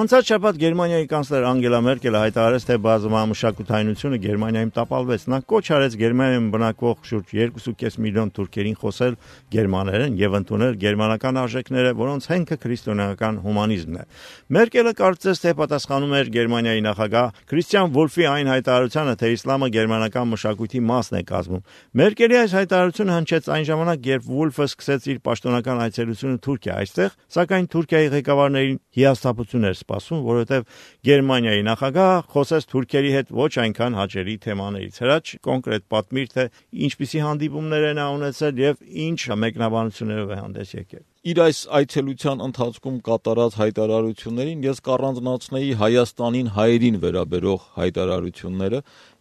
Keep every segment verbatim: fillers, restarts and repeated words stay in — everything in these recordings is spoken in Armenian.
Անցած շաբաթ Գերմանիայի կանցլեր Անգելա Մերկելը հայտարարեց, թե բազմամշակութայնությունը Գերմանիայում տապալվեց։ Նա կոչ արեց Գերմանիայում բնակվող շուրջ երկու կես միլիոն թուրքերին խոսել գերմաներեն եւ ընդունել գերմանական արժեքները, որոնց հենքը քրիստոնեական հումանիզմն է։ Մերկելը կարծես թե պատասխանում էր Գերմանիայի նախագահ Քրիստիան Վոլֆի այն հայտարարությանը, թե իսլամը գերմանական մշակույթի մասն է կազմում։ Մերկելի այս հայտարարությունը հնչեց այն ժամանակ, երբ Վոլֆը սկսեց իր պաշտոնական այցելությունը Թուրքիա այստեղ, սակայն Թուրքիայի ղեկավարներին հիասթափություն էր սպասում, որովհետև Գերմանիայի նախագահը խոսեց թուրքերի հետ ոչ այնքան հաճելի թեմաներից։ Հրաչ կոնկրետ պատմիր, թե ինչպիսի հանդիպումներ են ունեցել եւ ինչ մեկնաբանություններով է հանդես եկել։ Իր այս այցելության ընթացքում կատարած հայտարարություններին ես կառանձնացնեի Հայաստանին հայերին վերաբերող հայտարարությունները։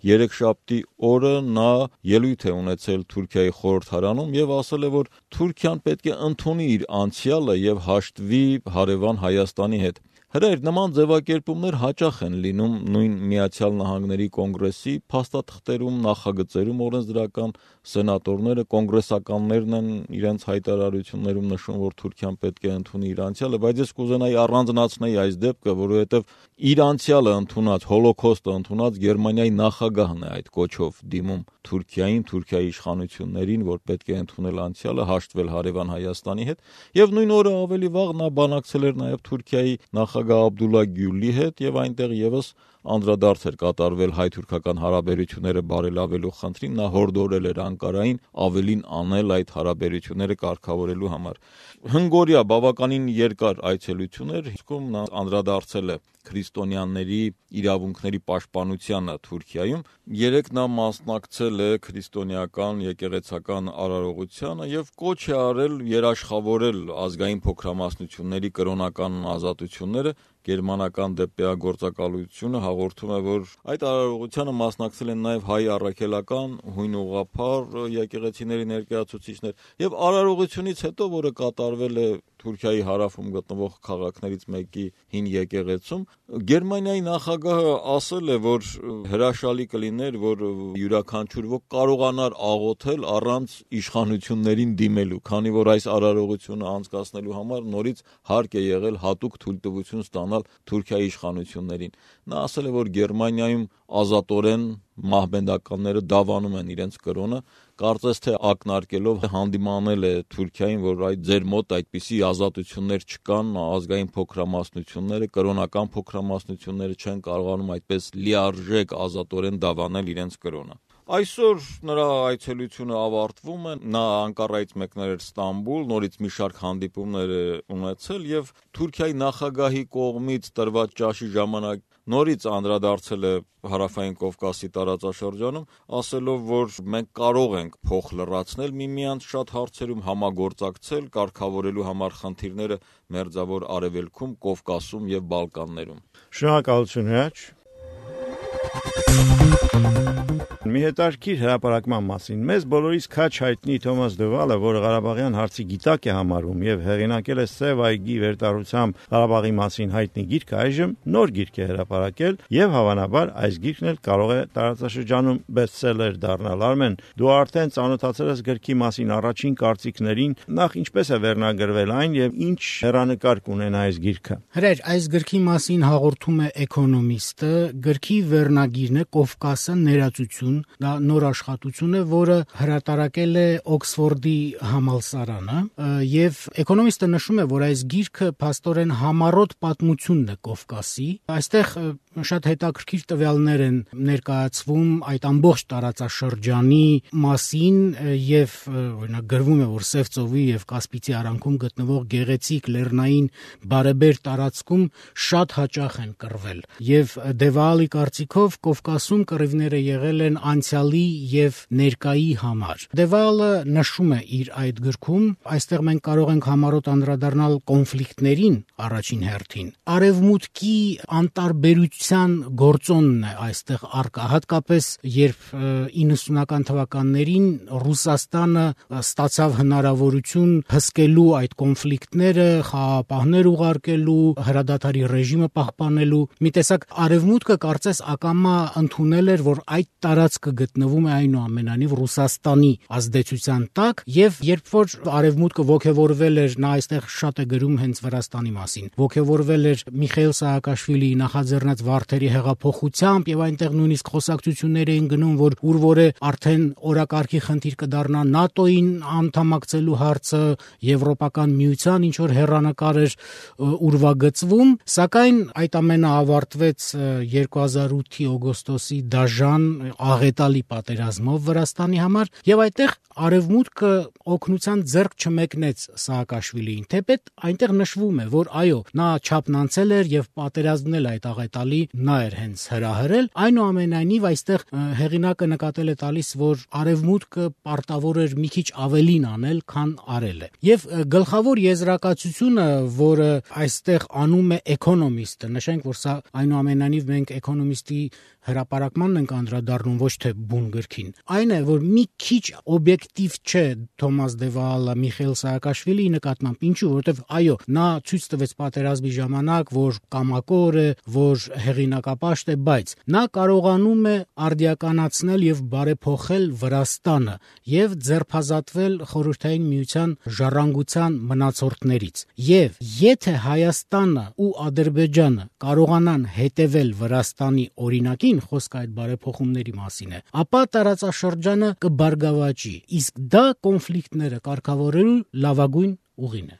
Երեքշաբթի օրը նա ելույթ է ունեցել Թուրքիայի խորհրդարանում եւ ասել է, որ Թուրքիան պետք է ընդունի իր անցյալը եւ հաշտվի հարևան Հայաստանի հետ։ Հրեր, նման ձևակերպումներ հաճախ են լինում նույն Միացյալ Նահանգների կոնգրեսի փաստաթղթերում, նախագծերում օրենսդրական սենատորները, կոնգրեսականներն են իրենց հայտարարություններում նշում, որ Թուրքիան պետք է ընդունի իր անցյալը, բայց ես կուզենայի առանձնացնել այս դեպքը, որովհետև իր անցյալը ընդունած, հոլոկոստը ընդունած Գերմանիայի նախագահն է այդ կոչով դիմում Թուրքիային, Թուրքիայի իշխանություններին, որ պետք է ընդունել անցյալը, հաշտվել հարևան Հայաստանի հետ, եւ նույն օրը ավելի վաղ նա բանակցել էր նաեւ Թուրքիայի նախագահ Աբդուլլա Գյուլի հետ եւ այնտեղ եւս անդրադարձ էր կատարվել հայ-թուրքական հարաբերությունները բարելավելու խնդրին, նա հորդորել էր Անկարային ավելին անել այդ հարաբերությունները կարգավորելու համար։ Հնգօրյա բավականին երկար այցելություն էր, իսկում նա անդրադարձել է քրիստոնյաների իրավունքների պաշտպանությանը Թուրքիայում։ Երեք նա մասնակցել է քրիստոնեական եկեղեցական արարողությանը եւ կոչ է արել երաշխավորել ազգային փոքրամասնությունների կրոնական ազատությունները։ Գերմանական դեպեագործակալությունը հաղորդում է, որ այդ արարողությանը մասնակցել են նաև հայ առաքելական, հույն ուղղափառ եկեղեցիների ներկայացուցիչներ եւ արարողությունից հետո, որը կատարվել է Թուրքիայի հարավում գտնվող քաղաքներից մեկի հին եկեղեցում, Գերմանիայի նախագահը ասել է, որ հրաշալի կլիներ, որ յուրաքանչյուր ոք կարողանար աղոթել առանց իշխանություններին դիմելու, քանի որ այս արարողությունը անցկացնելու համար նորից հարկ է եղել հատուկ թույլտվություն ստանալ Թուրքիայի իշխանություններին։ Նա ասել է, որ Գերմանիայում ազատորեն մահմեդականները դավանում են իրենց կրոնը, կարծես թե ակնարկելով հանդիմանել է Թուրքիային, որ այդ ձեր մոտ այդպիսի ազատություններ չկան, ազգային փոքրամասնությունները, կրոնական փոքրամասնությունները չեն կարողանում այդպես լիարժեք ազատորեն դավանել իրենց կրոնը։ Այսօր նրա այցելությունը ավարտվում է, նա Անկարայից մեկնել էր Ստամբուլ, նորից մի շարք հանդիպումներ է ունեցել եւ Թուրքիայի նախագահի կողմից տրված ճաշի ժամանակ նորից անդրադարձել է Հարավային Կովկասի տարածաշրջանում, ասելով, որ մենք կարող ենք փոխ լրացնել միմյանց շատ հարցերում, համագործակցել, կարգավորելու համար խնդիրները Մերձավոր Արևելքում, Կովկասում եւ Բալկաններում։ Շնորհակալություն, Հրաչ։ Մի հետաքրքիր հրապարակման մասին։ Մեզ բոլորիս քաչ հայտնի Թոմաս Դևալը, որը Ղարաբաղյան հարցի գիտակ է համարում եւ հեղինակել է Սև այգի վերտառությամբ Ղարաբաղի մասին հայտնի գիրքը, այժմ նոր գիրք է հրապարակել եւ հավանաբար այս գիրքն էլ կարող է տարածաշրջանում բեսթսելեր դառնալ։ Արմեն, դու արդեն ծանոթացել ես գրքի մասին առաջին կարծիքներին, նախ ինչպես է վերնագրվել այն եւ ինչ հեռանկար կունենա այս գիրքը։ Հրեր, այս գրքի մասին հաղորդում է Էկոնոմիստը, գրքի վերնագիրն է Կովկասը ներածություն, դա նոր աշխատություն է, որը հրատարակել է Օքսֆորդի համալսարանը, եւ Էկոնոմիստը նշում է, որ այս գիրքը փաստորեն համառոտ պատմությունն է Կովկասի։ Այստեղ շատ հետաքրքիր տվյալներ են ներկայացվում այդ ամբողջ տարածաշրջանի մասին եւ օրինակ գրվում է, որ Սև ծովի եւ Կասպիցի արանքում գտնվող գեղեցիկ լեռնային բարեբեր տարածքում շատ հաճախ են կռվել եւ Դևալի կարծիքով Կովկասում կռիվները եղել են անցյալի եւ ներկայի համար։ Դևալը նշում է իր այդ գրքում, այստեղ մենք կարող ենք համառոտ անդրադառնալ կոնֆլիկտներին առաջին հերթին, արևմուտքի անտարբերություն ազդեցության գործոնն է այստեղ առկա, հատկապես երբ իննսունական թվականներին Ռուսաստանը ստացավ հնարավորություն հսկելու այդ կոնֆլիկտները, խաղաղապահներ ուղարկելու, հրադադարի ռեժիմը պահպանելու, մի տեսակ արևմուտքը կարծես ակամա ընդունել էր, որ այդ տարածքը գտնվում է այնուամենայնիվ Ռուսաստանի ազդեցության տակ, եւ երբ որ արևմուտքը ոգևորվել էր, նա այստեղ շատ է գրում հենց Վրաստանի մասին, ոգևորվել էր Միխայիլ Սահակաշվիլիի նախաձեռնած վարդերի հեղափոխությամբ եւ այնտեղ նույնիսկ խոսակցություններ էին գնում, որ ուր որ է արդեն օրակարգի խնդիր կդառնա ՆԱՏՕ-ին անդամակցելու հարցը, Եվրոպական միության ինչ որ հեռանկար էր ուրվագծվում, սակայն այդ ամենը ավարտվեց երկու հազար ութի օգոստոսի դաժան աղետալի պատերազմով Վրաստանի համար եւ այդտեղ արևմուտքը օգնության ձեռք չմեկնեց Սահակաշվիլիին, թեպետ այնտեղ նշվում է, որ այո, նա չափն անցել էր եւ պատերազմն էլ այդ աղետալի նա էր հենց հրահրել, այնուամենայնիվ այստեղ հեղինակը նկատել է տալիս, որ արևմուտքը պարտավոր էր մի քիչ ավելին անել, քան արել է։ Եվ գլխավոր եզրակացությունը, որը այստեղ անում է Economist-ը, նշենք, որ սա այնուամենայնիվ մենք Economist-ի հրապարակմանն ենք անդրադառնում, ոչ թե բուն գրքին, այն է, որ մի քիչ օբյեկտիվ չէ Թոմաս դե Վաալը Միխայիլ Սահակաշվիլիի նկատմամբ, ինչու, որովհետև այո, նա ցույց տվեց պատերազմի ժամանակ, որ կամակոր է, որ հեղինակապաշտ է, բայց նա կարողանում է արդիականացնել եւ բարեփոխել Վրաստանը եւ ձերբազատվել Խորհրդային Միության ժառանգության մնացորդներից։ Եվ եթե Հայաստանը ու Ադրբեջանը կարողանան հետևել Վրաստանի օրինակին, խոսքը այդ բարեփոխումների մասին է, ապա տարածաշրջանը կբարգավաճի, իսկ դա կոնֆլիկտները կարգավորելու լավագույն ուղին է։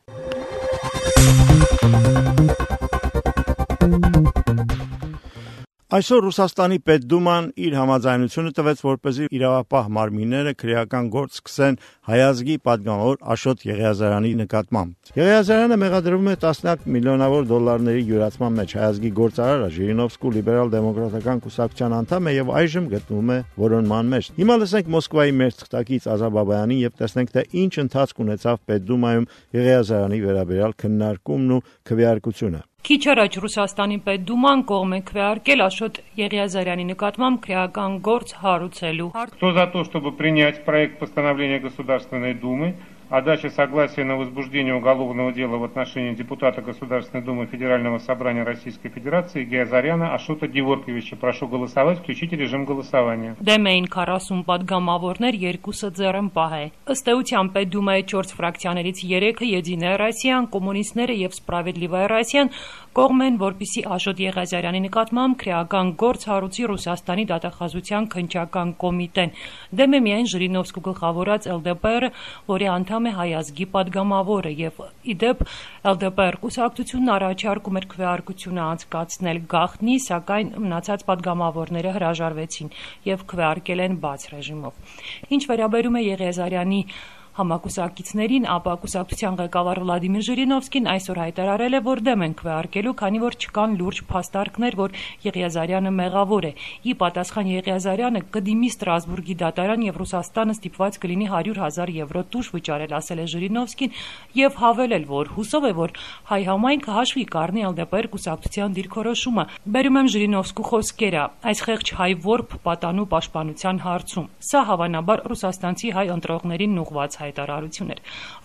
Այսօր Ռուսաստանի Պետդուման իր համաձայնությունը տվեց, որպեսզի իրավապահ մարմինները քրեական գործ սկսեն հայազգի падգամավոր Աշոտ Եղիազարյանի նկատմամբ։ Եղիազարյանը մեղադրվում է տասնյակ միլիոնավոր դոլարների յուրացման մեջ, հայազգի գործարարը Ժիրինովսկու լիբերալ-դեմոկրատական կուսակցության անդամ է եւ այժմ գտնվում է որոնման մեջ։ Հիմա լսենք Մոսկվայի մեր թղթակից Ազա Բաբայանին եւ տեսնենք, թե ինչ ընթացք ունեցավ Պետդումայում Եղիազարյանի վերաբերյալ քննարկումն ու քվեարկությունը։ Քիչ առաջ Ռուսաստանի Պետդուման կողմ է քվեարկել Աշոտ Եղիազարյանի նկատմամբ քրեական գործ հարուցելու։ Кто за то, чтобы принять проект постановления Государственной Думы о даче согласия на возбуждение уголовного дела в отношении депутата Государственной Думы Федерального собрания Российской Федерации Եղիազարյана Աշոտը Գևորգիевича. Прошу голосовать, включите режим голосования. Դեմ էին քառասուն падգամավորներ, երկուսը ձեռնպահ է։ Ըստ էության Պետդումայի չորս ֆրակցիաներից երեքը Եդինայա Ռոսիան, կոմունիստները եւ Սպրավեդլիվայա Ռոսիան կողմ են, որպեսզի Աշոտ Եղիազարյանի նկատմամբ քրեական գործ հարուցի Ռուսաստանի դատախազության քննչական կոմիտեն։ Դեմ է միայն Ժիրինովսկու գլխավորած Էլ Դե Պը Ը, որի անդամ է հայազգի падգամավորը եւ իդեպ Էլ Դե Պը Ը կուսակցությունն առաջարկում էր քվեարկությունը անցկացնել գաղտնի, սակայն մնացած падգամավորները հրաժարվեցին եւ քվեարկել են բաց ռեժիմով։ Ինչ վերաբերում է Եղիազարյանի համակուսակիցներին, ապա կուսակցության ղեկավար Վլադիմիր Ժիրինովսկին այսօր հայտարարել է, որ դեմ են քվեարկելու, քանի որ չկան լուրջ փաստարկներ, որ Եղիազարյանը մեղավոր է։ Ի պատասխան Եղիազարյանը կդիմի Ստրասբուրգի դատարան եւ Ռուսաստանը ստիպված կլինի հարյուր հազար եվրո տուժ վճարել, ասել է Ժիրինովսկին եւ հավելել, որ հուսով է, որ հայ համայնքը հաշվի կառնի Էլ Դե Պը Ը կուսակցության դիրքորոշումը։ Բերում եմ Ժիրինովսկու խոսքերը, այս խեղճ հայ որբ պատանու պաշտպանության հարցում։ Սա հավանաբար ռուսաստանցի հայ ընտրողներին ուղղված հայտարարություն էր։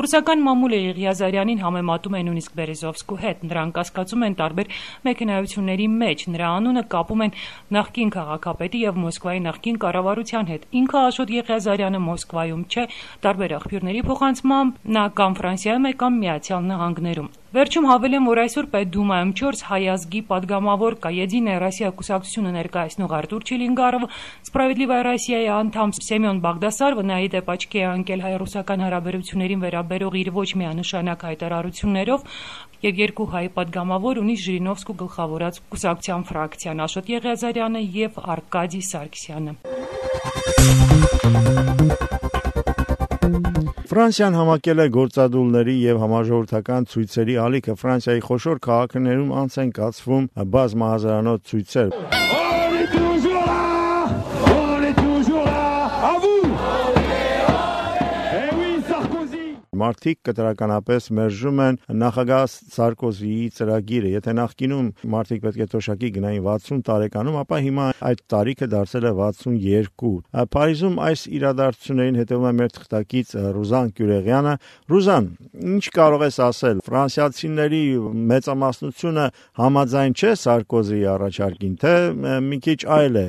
Ռուսական մամուլը Եղիազարյանին համեմատում է նույնիսկ Բերեզովսկու հետ, նրան կասկածում են տարբեր մեքենայությունների մեջ, նրա անունը կապում են նախկին քաղաքապետի եւ Մոսկվայի նախկին կառավարության հետ։ Ինքը Աշոտ Եղիազարյանը Մոսկվայում չէ, տարբեր աղբյուրների փոխանցմամբ նա կամ Ֆրանսիայում է կամ Միացյալ Նահանգներում։ Վերջում հավելեմ, որ այսօր Պետդումայում չորս հայազգի падգամավոր կա Եդինայա Ռոսիա կուսակցությունը ներկայացնող Արտուր Չիլինգարովը, Սպրավեդլիվայա Ռոսիայի անդամ Սեմյոն Բաղդասարովը, նայի դեպ աչքի է ընկել հայ-ռուսական հարաբերություններին վերաբերող իր ոչ միանշանակ հայտարարություններով եւ երկու հայ падգամավոր ունի Ժիրինովսկու գլխավորած կուսակցության ֆրակցիան Աշոտ Եղիազարյանը եւ Արկադի Սարգսյանը։ Ֆրանսիան համակել է գործադուլների եւ համաժողովրդական ցույցերի ալիքը։ Ֆրանսիայի խոշոր քաղաքներում անց են կացվում բազմահազարանոց ցույցեր։ Մարդիկ կտրականապես մերժում են նախագահ Սարկոզիի ծրագիրը։ Եթե նախկինում մարդիկ պետք է թոշակի գնային վաթսուն տարեկանում, ապա հիմա այդ տարիքը դարձել է վաթսունյոթ։ Փարիզում այս իրադարձություններին հետևում է մեր թղթակից Ռուզան Գյուրեղյանը։ Ռուզան, ինչ կարող ես ասել, ֆրանսիացիների մեծամասնությունը համաձայն չէ Սարկոզիի առաջարկին, թե մի քիչ այլ է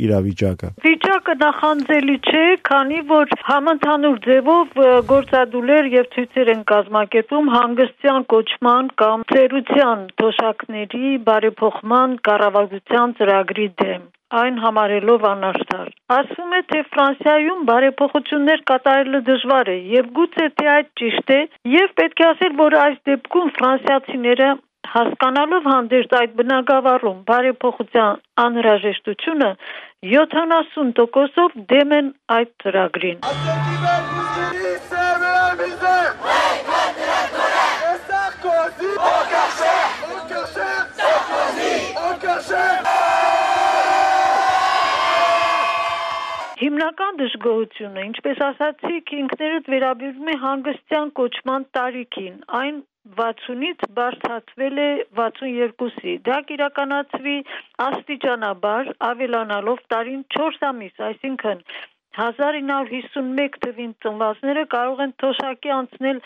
իրավիճակը։ Վիճակը նախանձելի չէ, քանի որ համընդհանուր ձևով գործադուլեր եւ ցույցեր են կազմակերպում հանգստյան կոչման կամ ծերության թոշակների բարեփոխման կառավարության ծրագրի դեմ, այն համարելով անարդար։ Ասվում է, թե Ֆրանսիայում բարեփոխություններ կատարելը դժվար է եւ գուցե թե այդ ճիշտ է եւ պետք է ասել, որ այս դեպքում ֆրանսիացիները հասկանալով հանդերձ այդ բնագավառում բարեփոխության անհրաժեշտությունը յոթանասուն տոկոսով դեմ են այդ ծրագրին։ Հիմնական դժգոհությունը, ինչպես ասացիք, ինքներդ վերաբերում է հանգստյան կոչման տարիքին, այն վաթսունից բարձրացվել է վաթսունյոթի։ Դա կիրականացվի աստիճանաբար ավելանալով տարին չորս ամիս, այսինքն հազար ինը հարյուր հիսունմեկ թվին ծնվածները կարող են թոշակի անցնել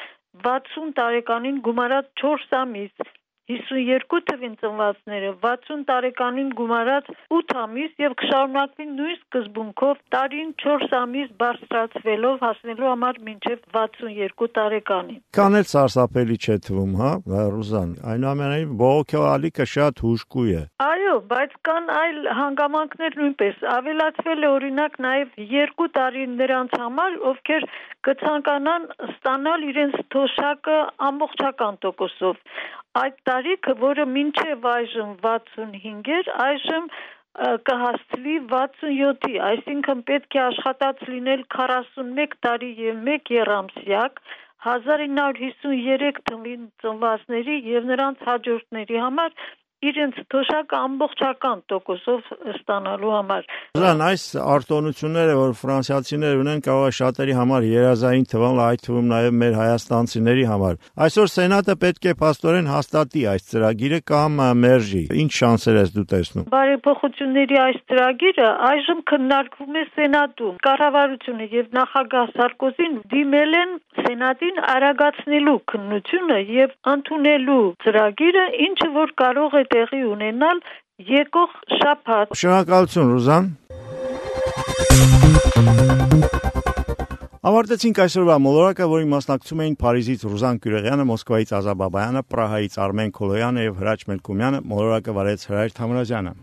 վաթսուն տարեկանին գումարած չորս ամիս, հիսունյոթ թվին ծնվածները վաթսուն տարեկանին գումարած ութ ամիս եւ կշարունակվի նույն սկզբունքով տարին չորս ամիս բարձրացվելով հասնելու համար մինչեւ վաթսունյոթ տարեկանին։ Քան էլ սարսափելի չէ թվում, հա, Ռուզան, այնուամենայնիվ բողոքի ալիքը շատ հուժկու է։ Այո, բայց կան այլ հանգամանքներ նույնպես։ Ավելացվել է օրինակ նաեւ երկու տարի նրանց համար, ովքեր կցանկանան ստանալ իրենց թոշակը ամբողջական տոկոսով։ Այդ տարիքը, որը մինչև այժմ վաթսունհինգ էր, այժմ կհասցվի վաթսունյոթի, այսինքն պետք է աշխատած լինել քառասունմեկ տարի եւ մեկ եռամսյակ, հազար ինը հարյուր հիսուներեք թվին ծնվածների եւ նրանց հաջորդների համար իրենց թոշակը ամբողջական տոկոսով ստանալու համար։ Ռուզան, այս արտոնությունները, որ ֆրանսիացիները ունեն, կարող է շատերի համար երազային թվալ, այդ թվում նաև մեր հայաստանցիների համար։ Այսօր Սենատը պետք է փաստորեն հաստատի այս ծրագիրը կամ մերժի։ Ինչ շանսեր ես դու տեսնում։ Բարեփոխությունների այս ծրագիրը այժմ քննարկվում է Սենատում։ Կառավարությունը եւ նախագահ Սարկոզին դիմել են Սենատին արագացնելու քննությունը եւ ընդունելու ծրագիրը, ինչը որ կարող է տեղի ունենալ եկող շաբաթ։ Շնորհակալություն, Ռուզան։ Ավարտեցինք այսօրվա մոլորակը, որին մասնակցում էին Փարիզից Ռուզան Գյուրեղյանը, Մոսկվայից Ազա Բաբայանը, Պրահայից Արմեն Քոլոյանը եւ Հրաչ Մելքումյանը։ Մոլորակը վարեց Հրայր Թամրազյանը։